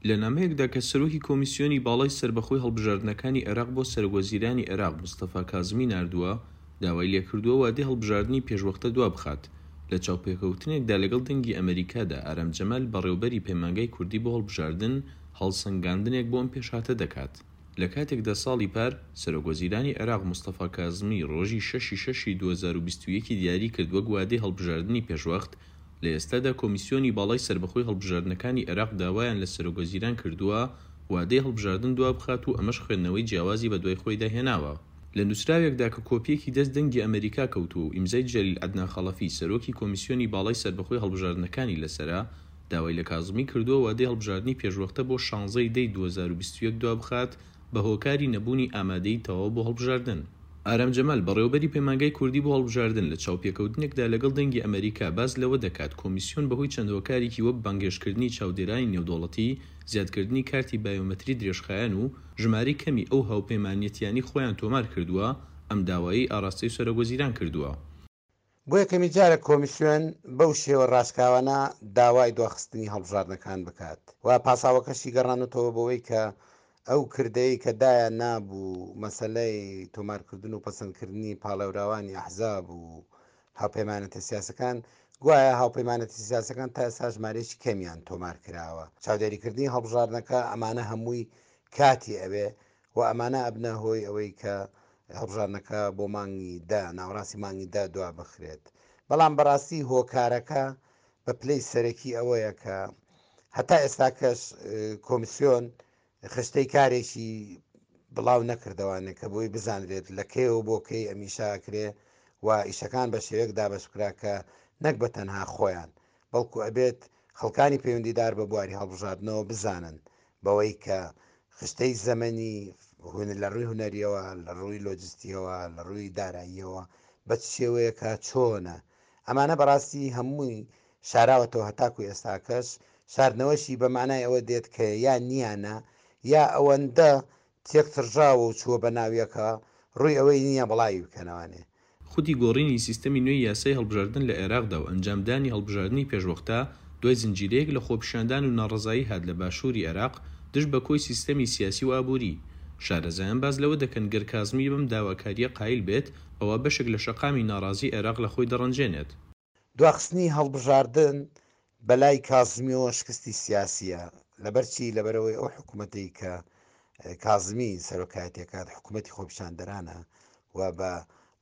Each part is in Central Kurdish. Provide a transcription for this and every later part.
لە نامەیەکدا کە سەرۆکی کۆمیسیۆنی باڵای سەربەخۆی هەڵبژاردنەکانی عێراق بۆ سەرۆکوەزیرانی عێراق مستەفا کازمی ناردووە، داوای لێکردووە وادەی هەڵبژاردنی پێشوەختە دوابخات. لە چاوپێکەوتنێکدا لەگەڵ دەنگی ئەمەریکادا ئارام جەمال بەڕێوبەری پەیمانگای کوردی بۆ هەڵبژاردن هەڵسەنگاندنێک بۆ ئەم پێشهاتە دەکات. لە کاتێکدا ساڵی پار سەرۆکوەزیرانی عێراق مستەفا کازمی ڕۆژی شەشی شەشی 2021 ی دیاری کرد وەک وادەی هەڵبژاردنی پێشوەخت، لە ئێستادا کۆمیسیۆنی باڵای سەربەخۆی هەڵبژاردنەکانی عێراق داوایان لە سەرۆکوەزیران کردووە وادەی هەڵبژاردن دوابخات و ئەمەش خوێندنەوەی جیاوازی بەدوای خۆیدا هێناوە. لە نووسراوێکدا کە کۆپییەکی دەست دەنگی ئەمەریکا کەوتووە و ئیمزای جەلیل عەدنان خەڵەفی سەرۆکی کۆمیسیۆنی باڵای سەربەخۆی هەڵبژاردنەکانی لەسەرە، داوای لە کازمی کردووە وادەی هەڵبژاردنی پێشوەختە بۆ شانزە ی دەی 2021 دوابخات بە هۆکاری نەبوونی ئامادەیی تەواو بۆ هەڵبژاردن. ئارام جەمال، بەڕێوەبەری پەیمانگای کوردی بۆ هەڵبژاردن، لە چاوپێکەوتنێکدا لەگەڵ دەنگی ئەمەریکا باس لەوە دەکات کۆمیسیۆن بەهۆی چەند هۆکارێکی وەک بانگهێشتکردنی چاودێرانی نێودەوڵەتی، زیادکردنی کارتی بایۆمەتری درێژخایەن و ژمارەی کەمی ئەو هاوپەیمانیەتیانەی خۆیان تۆمار کردووە، ئەم داوایەی ئاڕاستەی سەرۆکوەزیران کردووە. بۆ یەکەمین جارە کۆمیسیۆن بەو شێوە ڕاشکاوانە داوای دواخستنی هەڵبژاردنەکان بکات و پاساوەکەشی گەڕانۆتەوە بەوەی کە ئەو کردەی کە دایان نابوو مەسەلەی تۆمارکردن و پەسەندکردنی پاڵێوراوانی ئەحزاب و هاوپەیمانێتە سیاسەکان گوایە هاوپەیمانێتە سیاسەکان تا ئێستا ژمارەیەکی کەمیان تۆمار کراوە چاودێریکردنی هەڵبژاردنەکە ئەمانە هەمووی کاتی ئەوێ و ئەمانە ئەبنە هۆی ئەوەی کە هەڵبژاردنەکە بۆ مانگی دە، ناوەڕاستی مانگی دە دوا بخرێت. بەڵام بەڕاستی هۆکارەکە بە پلەی سەرەکی ئەوەیە کە هەتا ئێستاکەش کۆمیسیۆن خشتەی کارێکی بڵاو نەکردەوانێ کە بۆی بزانرێت لە کەیەوە بۆ کەی ئەم ئیشە ئەکرێ و ئیشەکان بە شێوەیەک دابەش بکرا کە نەک بە تەنها خۆیان بەڵکو ئەبێت خەڵکانی پەیوەندیدار بە بواری هەڵبژاردنەوە بزانن بەوەی کە خشتەی زەمەنی لە ڕووی هونەریەوە، لە ڕووی لۆجستیەوە، لە ڕووی داراییەوە بە چ شێوەیەکە، چۆنە؟ ئەمانە بەڕاستی هەمووی شاراوەتەوە هەتاکو ئێستاکەش، شاردنەوەشی بە مانای ئەوە دێت کە یا نییانە یا ئەوەندە تێکتڕژاوە و چووە بە ناویەکە ڕووی ئەوەی نییە بڵاوی بکەنەوانێ. خودی گۆڕینی سیستەمی نوێی یاسای هەڵبژاردن لە عێراقدا و ئەنجامدانی هەڵبژاردنی پێشوەختە دوای زنجیرەیەک لە خۆپیشاندان و ناڕەزایی هات لە باشووری عێراق دژ بە کۆی سیستەمی سیاسی و ئابووری. شارەزایان باس لەوە دەکەن گەر کازمی بەم داواکارییە قایل بێت ئەوا بەشێک لە شەقامی ناڕازی عێراق لە خۆی دەڕەنجێنێت. دواخستنی هەڵبژاردن بەلای کازمیەوە شکستی سیاسیە، لەبەرچی؟ لەبەرئەوەی ئەو حکومەتەی کە کازمی سەرۆکایەتی ئەکات حکومەتی خۆپیشاندەرانە و بە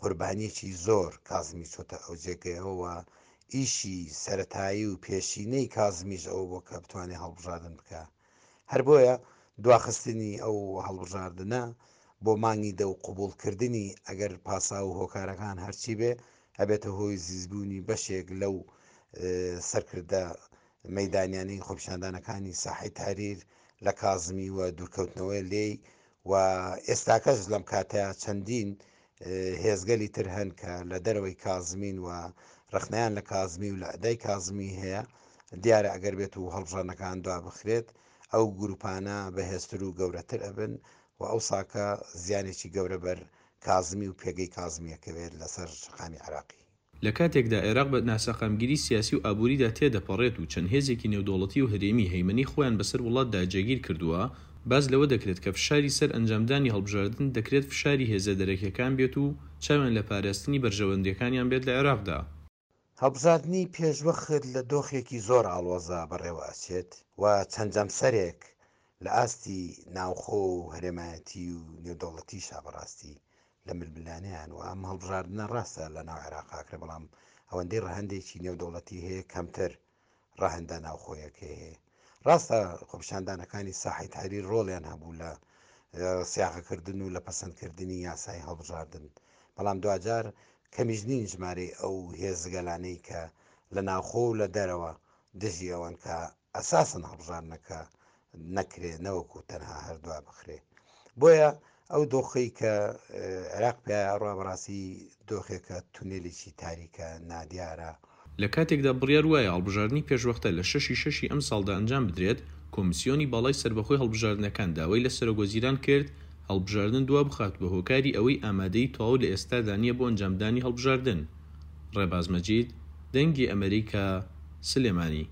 قوربانیەکی زۆر کازمی چۆتە ئەو جێگەیەوە و ئیشی سەرەتایی و پێشینەی کازمیش ئەوە بووە کە بتوانێت هەڵبژاردن بکا. هەر بۆیە دواخستنی ئەو هەڵبژاردنە بۆ مانگی دە و قبوڵکردنی ئەگەر پاساو و هۆکارەکان هەرچی بێ ئەبێتە هۆی زیزبوونی بەشێک لەو سەرکردە مەیدانیانەی خۆپیشاندانەکانی ساحەی تەحریر لە کازمی و دوورکەوتنەوە لێی و ئێستاکەش لەم کاتەیا چەندین هێزگەلی تر هەن کە لە دەرەوەی کازمین و ڕەخنەیان لە کازمی و لە ئەدای کازمی هەیە دیارە ئەگەر بێت و هەڵبژاردنەکان دوا بخرێت ئەو گروپانە بەهێزتر و گەورەتر ئەبن و ئەو ساکە زیانێکی گەورە بەر کازمی و پێگەی کازمی ئەکەوێت لەسەر شەقامی عێراقی. لە کاتێکدا عێراق بە ناسەقامگیری سیاسی و ئابووریدا تێدەپەڕێت و چەند هێزێکی نێودەوڵەتی و هەرێمی هەیمەنەی خۆیان بەسەر وڵاتدا جێگیر کردووە، باس لەوە دەکرێت کە فشاری سەر ئەنجامدانی هەڵبژاردن دەکرێت فشاری هێزە دەرەکیەکان بێت و چاویان لە پاراستنی بەرژەوەندیەکانیان بێت لە عێراقدا. هەڵبژاردنی پێشوەخت لە دۆخێکی زۆر ئاڵۆزا بەڕێوە ئەچێت و چەند جەمسەرێک لە ئاستی ناوخۆ و هەرێمایەتی و نێودەوڵەتیشا بەڕاستی لە ململانێیان و ئەم هەڵبژاردنە ڕاستە لە ناو عێراق ئاکرێ بەڵام ئەوەندەی ڕەهەندێکی نێودەوڵەتی هەیە کەمتر ڕەهەندە ناوخۆیەکەی هەیە ڕاستە خۆپیشاندانەکانی ساحەی تەحریر ڕۆڵیان هەبوو لە سیاغەکردن و لە پەسەندکردنی یاسای هەڵبژاردن بەڵام دواجار کەمیش نین ژمارەی ئەو هێزگەلانەی کە لە ناوخۆ و لە دەرەوە دژی ئەوەن کە ئەساسەن هەڵبژاردنەکە نەکرێ نەوەکو تەنها هەر دوا بخرێ بۆیە ئەو دۆخەی کە عێراق پێیا ئەڕوا بەڕاستی دۆخێکە تونێلێکی تاریکە نادیارە. لە کاتێکدا بڕیار وایە هەڵبژاردنی پێشوەختە لە شەشی شەشی ئەمساڵدا ئەنجام بدرێت، کۆمسیۆنی باڵای سەربەخۆی هەڵبژاردنەکان داوای لە سەرۆکوەزیران کرد هەڵبژاردن دوابخات بە هۆکاری ئەوەی ئامادەیی تەواو لە ئێستادا نییە بۆ ئەنجامدانی هەڵبژاردن. ڕێباز مەجید، دەنگی ئەمەریکا، سلێمانی.